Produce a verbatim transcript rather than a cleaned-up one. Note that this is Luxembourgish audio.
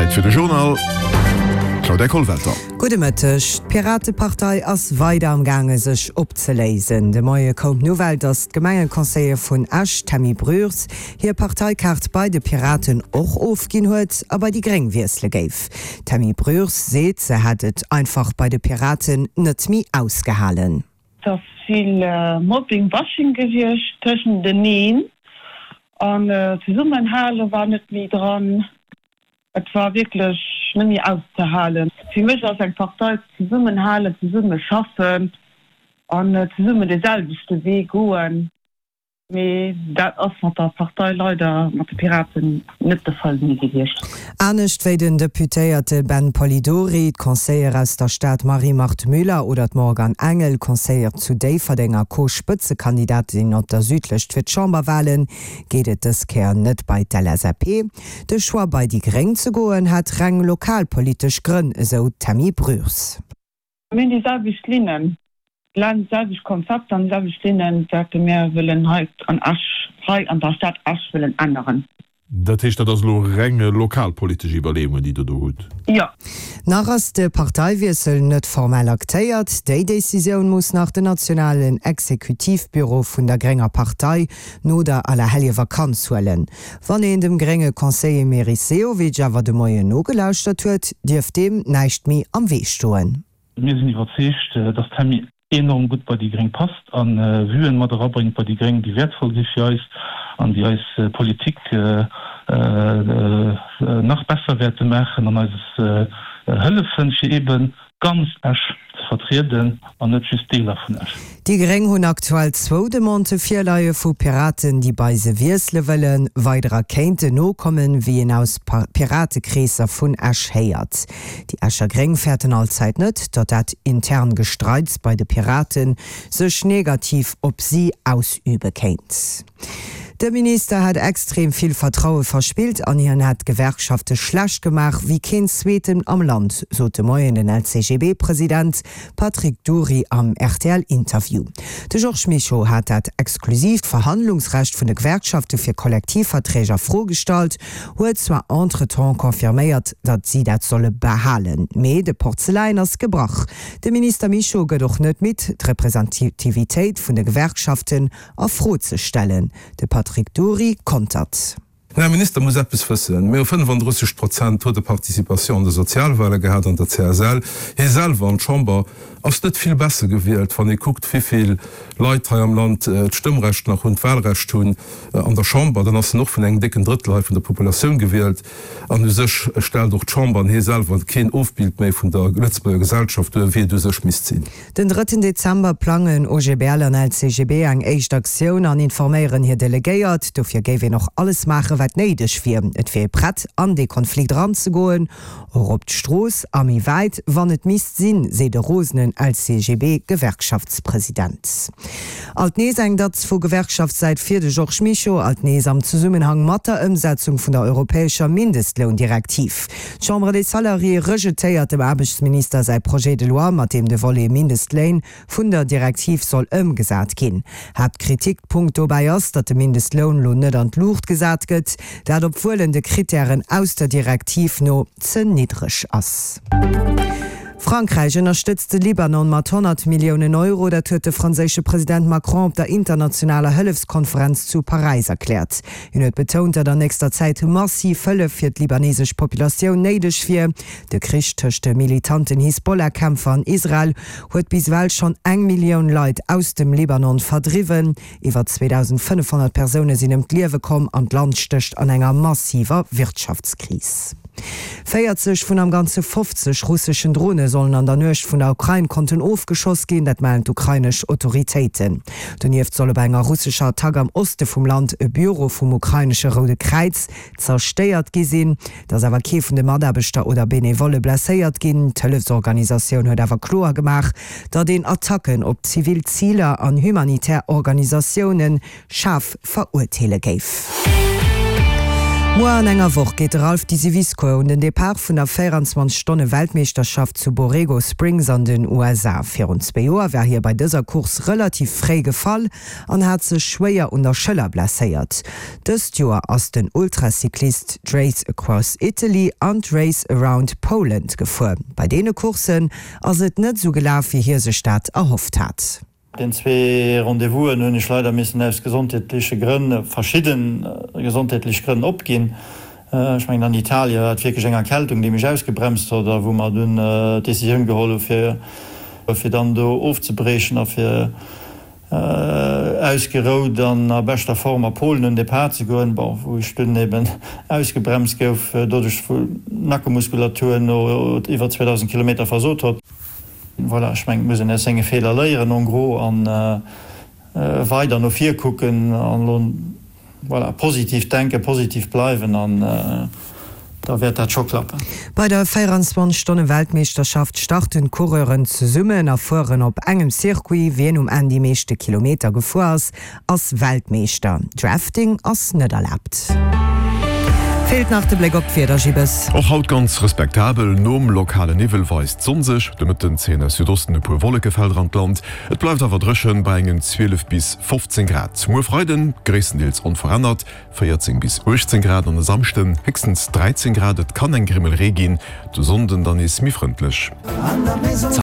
Zäit fir de Journal, Claudia Kollwelter. Gudde Mëtteg. D'Piratepartei ass weider am gaange sech opzeléisen. De Moie koum d'Nouvelle, datt d'Gemengeconseiller vun Esch, Tammy Broers, hir Parteikaart bei de Piraten och ofginn huet a bei déi Gréng wiessele géif. D'Tammy Broers seet, se hätt et einfach bei de Piraten net méi ausgehalen. Et ass vill Mobbing, Bashing gewiescht tëschenteneen an zesummenhale war net méi dran. Et war wierklech net méi auszehalen. Fir mech ass eng Partei zesummenhalen, zesumme schaffen an zesummen dee selwechte Wee goen. Mee dat ass mat der Partei leider, mat de Piraten, net de Fall méi gewiescht. Anescht wéi den Deputéierte Ben Polidori, d'Conseillere aus der Stad Marie-Marthe Müller oder d'Morgan Engel, Conseillere zu Déifferdeng a Co-Spëtzekandidatin op der Südlëscht fir d'Chamberwalen, geet et dës Kéier net bei d'LSAP. De Choix bei déi Gréng ze goen hätt reng lokalpolitesch Grënn, esou d'Tammy Broers. Mir hunn déi selwecht Linnen, déi selwecht Konzepter an déi selwecht Linnen, wat mir wëllen hei an Esch, hei an der Stad Esch wëllen änneren. Dat heescht, dat ass elo reng lokalpolitesch Iwwerleeungen, déi Der do hutt? Jo. Nach ass de Parteiwiessel net formell aktéiert. Déi Decisioun muss nach den nationalen Exekutivbüro vun der grénger Partei no der Allerhelljevakanz huelen. Wann een dem grénge Conseiller Meris Sehovic awer de Moien nogelauschtert huet, dierft deem näischt méi am Wee stoen. Mir sinn iwwerzeegt, dass d'Tammy enorm gutt bei déi gréng passt a Vuen mat erabréngt bei déi gréng, déi wäertvoll si fir eis an déi eis Politik nach besser wäerte maachen an eis hëllefen, fir eebe ganz Esch ze vertrieden an net just Deeler vun Esch. Déi gréng hunn aktuell zwou Demandë virleie vu Piraten, déi bei se wiessele wëllen. Weiderer kéinten nokommen, wéi een aus Piratekreesser vun Esch héiert. Déi Escher Gréng fäerten allzäit net, datt dat intern Gestreits bei de Piraten sech negativ op si ausübe kéint. De Minister hätt extrem vill Vertraue verspillt an hien hätt d'Gewerkschafte schlecht gemaach wéi keen zweeten am Land, sot de Moien den L C G B President Patrick Dury am R T L Interview. De Georges Mischo hat dat exklusiivt Verhandlungsrecht vun de Gewerkschafte fir Kollektivverträg a Fro gestallt, huet zwar entretemps confirméiert, datt si dat solle behalen, mee de Porzeläin ass gebrach. De Minister Mischo gëtt och net midd, d'Representativitéit vun de Gewerkschaften a Fro ze stellen. De Patrick Dury kontert. Den Här Minister muss eppes wëssen, Mir hu fënnefandrësseg Prozent Taux de participation an de Sozialwahle gehat an der C S L. Hie selwer an d'Chamber ass net vill besser gewielt. Wann ee kuckt, wéi vill Leit hei am Land d'Stëmmrecht nach hunn, d'Wahlrecht hunn an der Chamber, dann ass en och vun engem décken Drëttel hei vun der Populatioun gewielt. An u sech stellt och d'Chamber an hie selwer keen Ofbild méi vun der Lëtzebuerger Gesellschaft duer, wéi et u sech misst sinn. Den drëtten Dezember plangen O G B L an L C G B eng éischt Aktioun an informéieren hir Delegéiert. Dofir géif een och alles maachen, wat néideg wier. Et wier ee prett, an dee Konflikt eranzegoen, och op d'Strooss a méi wäit, wann et misst sinn, seet e rosenen L C G B Gewerkschaftspresident. Alt nees eng Datz vu Gewerkschaftssäit fir de Georges Mischo, alt nees am Zesummenhang mat der Ëmsetzung vun der europäescher Mindestloundirektiv. D'Chambre des Salariés rejetéiert dem Aarbechtsminister säi Projet de loi, mat deem de Volet Mindestléin vun der Direktiv soll ëmgesat ginn. Haaptkritikpunkt dobäi ass, datt de Mindestloun lo net an d'Luucht gesat gëtt, dat obwuel en de Krittären aus der Direktiv no ze niddreg ass. Frankräich ënnerstëtzt de Libanon mat honnert Milliounen Euro. Dat huet de franséische President Macron op der internationaler Hëllefskonferenz zu Paräis erkläert. Hien huet betount, datt an nächster Zäit massiv Hëllef fir d'libanesesch Populatioun néideg wier. De Krich tëscht de militanten Hisbollah-Kämpfer an Israel huet bis ewell schonn eng Millioun Leit aus dem Libanon verdriwwen. Iwwer zweedausendfënnefhonnert Persoune sinn ëm d'Liewe komm an d'Land stécht an enger massiver Wirtschaftskris. Véierzeg vun am Ganze fofzeg russeschen Drone sollen an der Nuecht vun der Ukrain konnten ofgeschoss ginn, dat mellen d'ukrainesch Autoritéiten. Donieft soll bei enger russescher Attack am Oste vum Land e Büro vum ukrainesche Roude Kräiz zerstéiert gi sinn. Et ass awer kee vun de Mataarbechter oder Benevolle blesséiert ginn. D'Hëllefsorganisatioun huet awer kloer gemaach, datt een Attacken op zivil Ziler an humanitär Organisatioune schaarf verurteele géif. Muer an enger Woch geet de Ralph Disiviscour un den Depart vun der véierundzwanzeg Stonne Weltmeeschterschaft zu Borrego Springs an den U S A. Virun zwee Joer war hie bei dëser Course relativ fréi gefall an hat sech schwéier un der Schëller blesséiert. Dëst Joer ass den Ultracyclist d'Race Across Italy an d'Race Around Poland gefuer. Bei deene Courssen ass et net sou gelaf, wéi hie sech dat erhofft hat. Den zwee Rendez-vousen hunn ech leider missen aus gesondheetleche Grënn, verschidde gesondheetlech Grënn opginn. Ech mengen an Italien war et wierklech eng Erkältung, déi mech ausgebremst huet a wou mer dunn d'Decisioun geholl hu fir fir dann do ofzebriechen a fir ausgerout an a beschter Form a Polen un Depart ze goen, bon, wou ech dunn eben ausgebremst gouf doduerch wou d'Nackemuskulatur no iwwer zweedausend Kilometer versot huet. Voilà, ech mengen, et muss een aus senge Feeler léieren en gros an weider no vir kucken an elo, voilà, positiv denken, positiv bleiwen an da wäert dat scho klappen. Bei der véierundzwanzeg Stonne Weltmeeschterschaft starten d'Coureuren zesummen a fueren op engem Circuit. Wien um Enn déi meeschte Kilometer gefuer ass, ass Weltmeeschter. Drafting ass net erlaabt. Feelt nach de Bléck op d'Wieder, Gibes. Och haut ganz respektabel, nom lokale Niwwel weist d'Sonn sech. De Mëtten zéien aus Südosten e puer Wollekefelder an d'Land, et bleift awer dréchen bei engen zwielef bis fofzéng Grad. Muer Freiden gréisstendeels onverännert, véierzéng bis uechtzéng Grad an e Samschden héchstens dräizéng Grad, et kann eng Grimmel Ree ginn. De Sonnden dann nees méi frëndlech.